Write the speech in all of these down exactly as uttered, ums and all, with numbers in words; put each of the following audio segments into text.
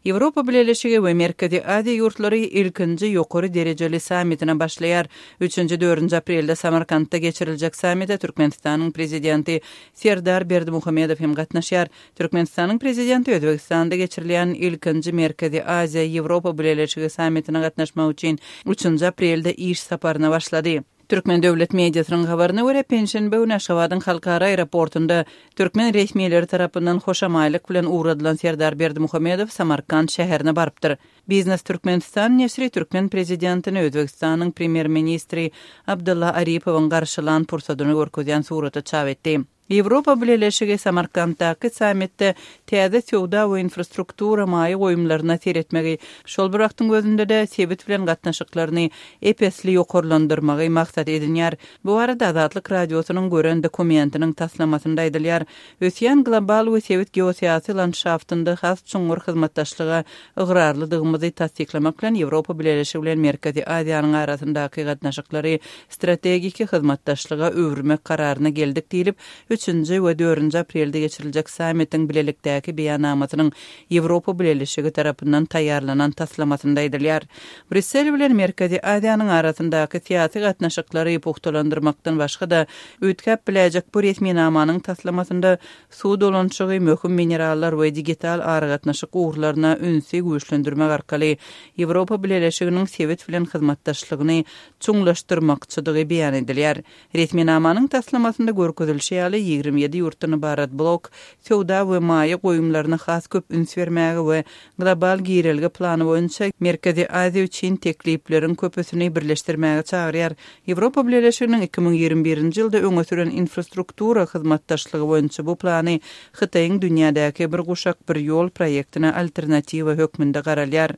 Ýewropa Bileleşigi we Merkezi Aziýa ýurtlary ilkinji ýokary derejeli sammitine başlaýar. Üçünji, dördünji aprelde Samarkantda geçiriljek sammite Türkmenistanyň Prezidenti Serdar Berdimuhamedow hem gatnaşýar. Türkmenistanyň Prezidenti Özbegistanda geçirilýän ilkinji Merkezi Aziýa Ýewropa Bileleşigi sammitine gatnaşmak üçin üçünji aprelde iş saparyna başlady. Türkmen döwlet mediasynyň habaryna görä, penşenbe güni Aşgabadyň halkara aeroportunda türkmen resmileri tarapyndan hoşamaýlyk bilen ugradylan Serdar Berdimuhamedow Samarkant şäherine barypdyr. Biznes Türkmenistan neşiri türkmen prezidentini Özbegistanyň premýer-ministri Abdylla Aripowyň garşylan pursadyny görkezýän suraty çap etdi. Ýewropa Bileleşigi Samarkantdaky sammitde täze söwda we infrastruktura maýa goýumlaryna seretmegi, şol bir wagtyň özünde-de sebit bilen gatnaşyklaryny ep-esli ýokarlandyrmagy maksat edinýär. Bu barada Azatlyk Radiosynyň gören dokumentiniň taslamasynda aýdylýar. Ösýän global we sebit geosyýasy landşaftynda has çuňňur hyzmatdaşlyga ygrarlydygymyzy tassyklamak bilen Ýewropa Bileleşigi bilen Merkezi Aziýanyň arasyndaky gatnaşyklary strategik hyzmatdaşlyga öwürmek kararyna geldik diýlip, üçünji we dördünji aprelde geçiriljek sammitiň bilelikdäki beýannamasynyň Ýewropa Bileleşigi tarapyndan taýýarlanan taslamasynda aýdylýar. Brýussel bilen Merkezi Aziýanyň arasyndaky syýasy gatnaşyklary pugtalandyrmakdan başga-da, üýtgäp biläýjek bu resminamanyň taslamasynda suw dolanyşygy, möhüm minerallar we digital aragatnaşyk ugurlaryna ünsi güýçlendirmek arkaly Ýewropa Bileleşiginiň sebit bilen hyzmatdaşlygyny çuňlaşdyrmakçydygy beýan edilýär. Resminamanyň taslamasynda görkezilişi ýaly, ýigrimi ýedi ýurtdan ybarat blok söwda we maýa goýumlaryna has köp üns bermäge we global girelge plany boýunça Merkezi Aziýa üçin teklipleriň köpüsini birleşdirmäge çagyrýar. Ýewropa Bileleşiginiň iki müň ýigrimi birinji ýylda öňe süren infrastruktura hyzmatdaşlygy boýunça bu plany Hytaýyň dünýädäki Bir guşak, bir ýol proýektine alternatiwa hökmünde garalýar.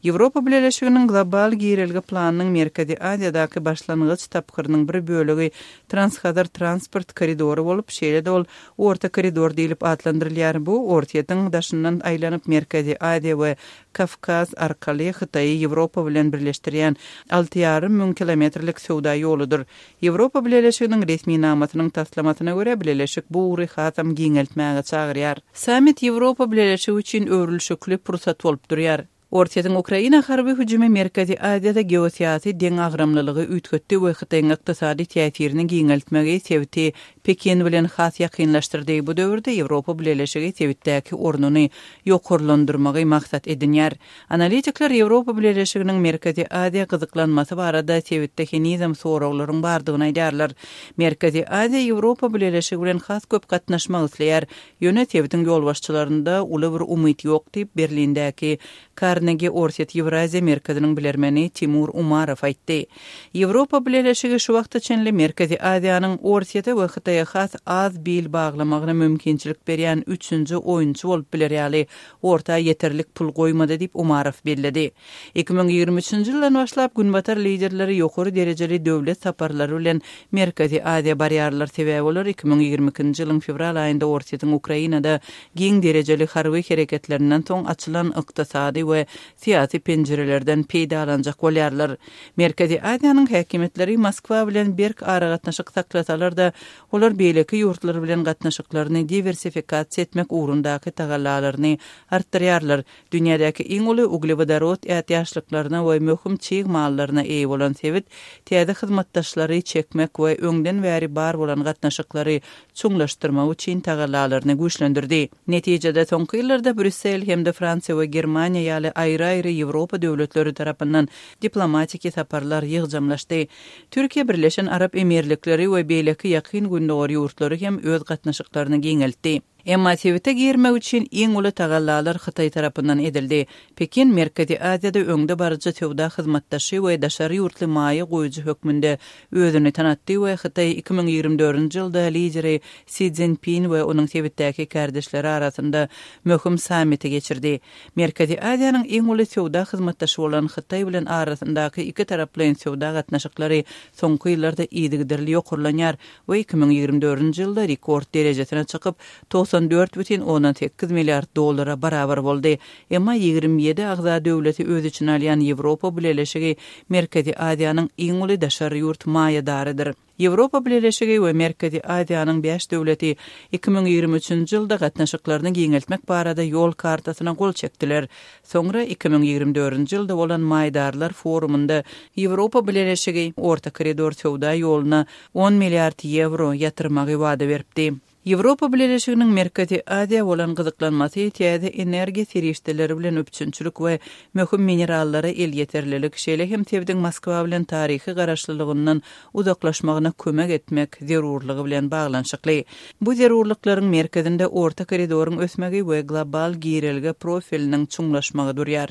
Ýewropa Bileleşiginiň global girelge planynyň Merkezi Aziýadaky başlangyç tapgyrynyň bir bölegi Transhazar transport koridory bolup, şeýle-de ol Orta koridor diýlip atlandyrylýar. Bu Orsýetiň daşyndan aýlanyp Merkezi Aziýa we Kawkaz arkaly Hytaýy Ýewropa bilen birleşdirýän alty ýarym müň kilometrlik söwda ýoludyr. Ýewropa Bileleşiginiň resminamasynyň taslamasyna görä, bileleşik bu ugry hasam giňeltmäge çagyrýar. Sammit Ýewropa Bileleşigi üçin öwrülişikli pursat bolup durýar. Orsýetiň Ukraina harby hüjümi Merkezi Aziýada geosyýasy deňagramlylygy üýtgetdi we Hytaýyň ykdysady täsirini giňeltmegi sebiti Pekin bilen has ýakynlaşdyrdy. Bu döwürde Ýewropa Bileleşigi sebitdäki ornuny ýokarlandyrmagy maksat edinýär. Analitikler Ýewropa Bileleşiginiň Merkezi Aziýa gyzyklanmasy barada sebitde henizem soraglaryň bardygyny aýdýarlar. Merkezi Aziýa Ýewropa Bileleşigi bilen has köp gatnaşmak isleýär, ýöne sebitiň ýolbaşçylarynda uly bir umyt ýok diýip, Berlindäki Karnegi Orsýet-Ýewraziýa merkeziniň bilermeni Timur Umarow aýtdy. Ýewropa Bileleşigi şu wagta çenli Merkezi Aziýanyň Orsýete we Hytaýa has az bil baglamagyna mümkinçilik berýän üçünji oýunçy bolup biler ýaly orta ýeterlik pul goýmady diýip, Umarow belledi. Iki müň ýigrimi üçünji ýyldan başlap Günbatar liderleri ýokary derejeli döwlet saparlary bilen Merkezi Aziýa barýarlar, sebäbi olar iki müň ýigrimi ikinji ýylyň fewral aýynda Orsýetiň Ukrainada giň derejeli harby hereketlerinden soň açylan ykdysady we syýasy penjirelerden peýdalanjak bolýarlar. Merkezi Aziýanyň häkimiýetleri Moskwa bilen berk aragatnaşyk saklasalar-da, olar beýleki ýurtlar bilen gatnaşyklaryny diwersifikasiýa etmek ugrundaky tagallalaryny artdyrýarlar. Dünýädäki iň uly uglewodorod ätiýaçlyklaryna we möhüm çig mallaryna eýe bolan sebit täze hyzmatdaşlary çekmek we öňden bäri bar bolan gatnaşyklary çuňlaşdyrmak üçin tagallalaryny güýçlendirdi. Netijede, soňky ýyllarda Brýussel hem-de Fransiýa we Germaniýa ýaly aýry-aýry Ýewropa döwletleri tarapyndan diplomatiki saparlar ýygjamlaşdy. Türkiýe, Birleşen Arap Emirlikleri we beýleki Ýakyn Gündogar ýurtlary hem öz gatnaşyklaryny giňeltdi. Emma sebite girmek üçin iň uly tagallalar Hytaý tarapyndan edildi. Pekin Merkezi Aziýada öňdebaryjy söwda hyzmatdaşy we daşary ýurtly maýa goýujy hökmünde özüni tanatdy we Hytaý iki müň ýigrimi dördünji ýylda lideri Si Szinpin we onuň sebitdäki kärdeşleri arasynda möhüm sammiti geçirdi. Merkezi Aziýanyň iň uly söwda hyzmatdaşy bolan Hytaý bilen arasyndaky ikitaraplaýyn söwda gatnaşyklary soňky ýyllarda yzygiderli ýokarlanýar we iki müň ýigrimi dördünji ýylda rekord derejesine çykyp, togsan togsan dört bütin ondan sekiz milliard dollara barabar boldy. Emma ýigrimi ýedi agza döwleti öz içine alýan Ýewropa Bileleşigi Merkezi Aziýanyň iň uly daşary ýurt maýadarydyr. Ýewropa Bileleşigi we Merkezi Aziýanyň bäş döwleti iki müň ýigrimi üçünji ýylda gatnaşyklaryny giňeltmek barada ýol kartasyna gol çekdiler. Soňra iki müň ýigrimi dördünji ýylda bolan maýdarlar forumynda Ýewropa Bileleşigi Orta koridor söwda ýoluna on milliard ýewro ýatyrmagy wada beripdi. Ýewropa Bileleşiginiň Merkezi Aziýa bolan gyzyklanmasy täze energiýa serişdeleri bilen üpjünçilik we möhüm minerallara elýeterlilik, şeýle hem sebitiň Moskwa bilen taryhy garaşlylygyndan uzaklaşmagyna kömek etmek zerurlygy bilen baglanyşykly. Bu zerurlyklaryň merkezinde Orta koridoryň ösmegi we global girelge profiliniň çuňlaşmagy durýar.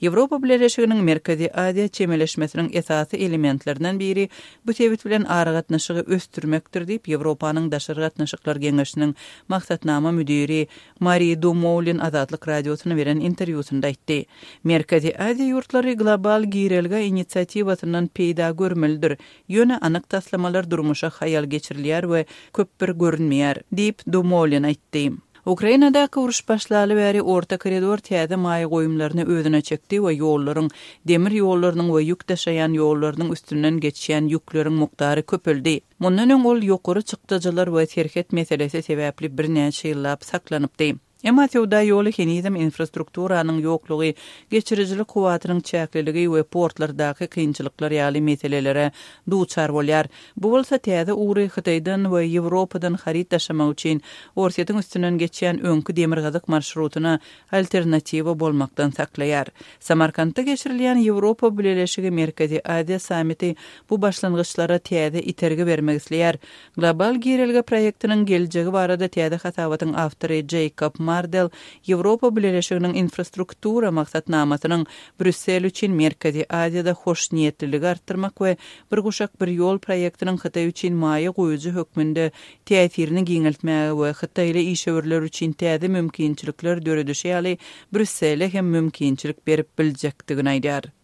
Ýewropa Bileleşiginiň Merkezi Aziýa çemeleşmesiniň esasy elementlerinden biri bu sebit bilen aragatnaşygy ösdürmekdir diýip, Ýewropanyň daşary gatnaşyklar geňeşiniň maksatnama müdiri Marie Dumoulin Azatlyk Radiosyna beren interwýusynda aýtdy. Merkezi Aziýa ýurtlary global girelge inisiatiwasyndan peýda görmelidir. Ýöne anyk taslamalar durmuşa haýal geçirilýär we köp bir görünmeýär, diýip Dumoulin aýtdy. Ukrainadaky uruş başlaly bäri Orta koridor täze maýa goýumlaryny özüne çekdi we ýollaryň, demir ýollarynyň we ýük daşaýan ýollarynyň üstünden geçýän ýükleriň mukdary köpeldi. Mundan öň ol ýokary çykdajylar we serhet meselesi sebäpli birnäçe ýyllap saklanypdy. Emma söwda ýoly henizem infrastrukturanyň ýoklugy, geçirijilik kuwwatynyň çäkliligi we portlardaky kynçylyklar ýaly meselelere duçar bolýar. Bu bolsa täze ugry Hytaýdan we Ýewropadan haryt daşamak üçin Orsýetiň üstünden geçýän öňki demirgazyk marşrutyna alternatiwa bolmakdan saklaýar. Samarkantda geçirilýän Ýewropa Bileleşigi Merkezi Aziýa sammiti bu başlangyçlara täze itergi bermek isleýär. Global girelge proýektiniň geljegi barada täze hasabatyň awtory Jacob Mardell Ýewropa Bileleşiginiň infrastruktura maksatnamasynyň Brýussel üçin Merkezi Aziýada hoşniýetliligi artdyrmak we bir guşak bir ýol proýektiniň Hytaý üçin maýa goýujy hökmünde täsirini giňeltmäge we Hytaýly işewürler üçin täze mümkinçilikler döredişi ýaly Brýussele hem mümkinçilik berip biljekdigini aýdar.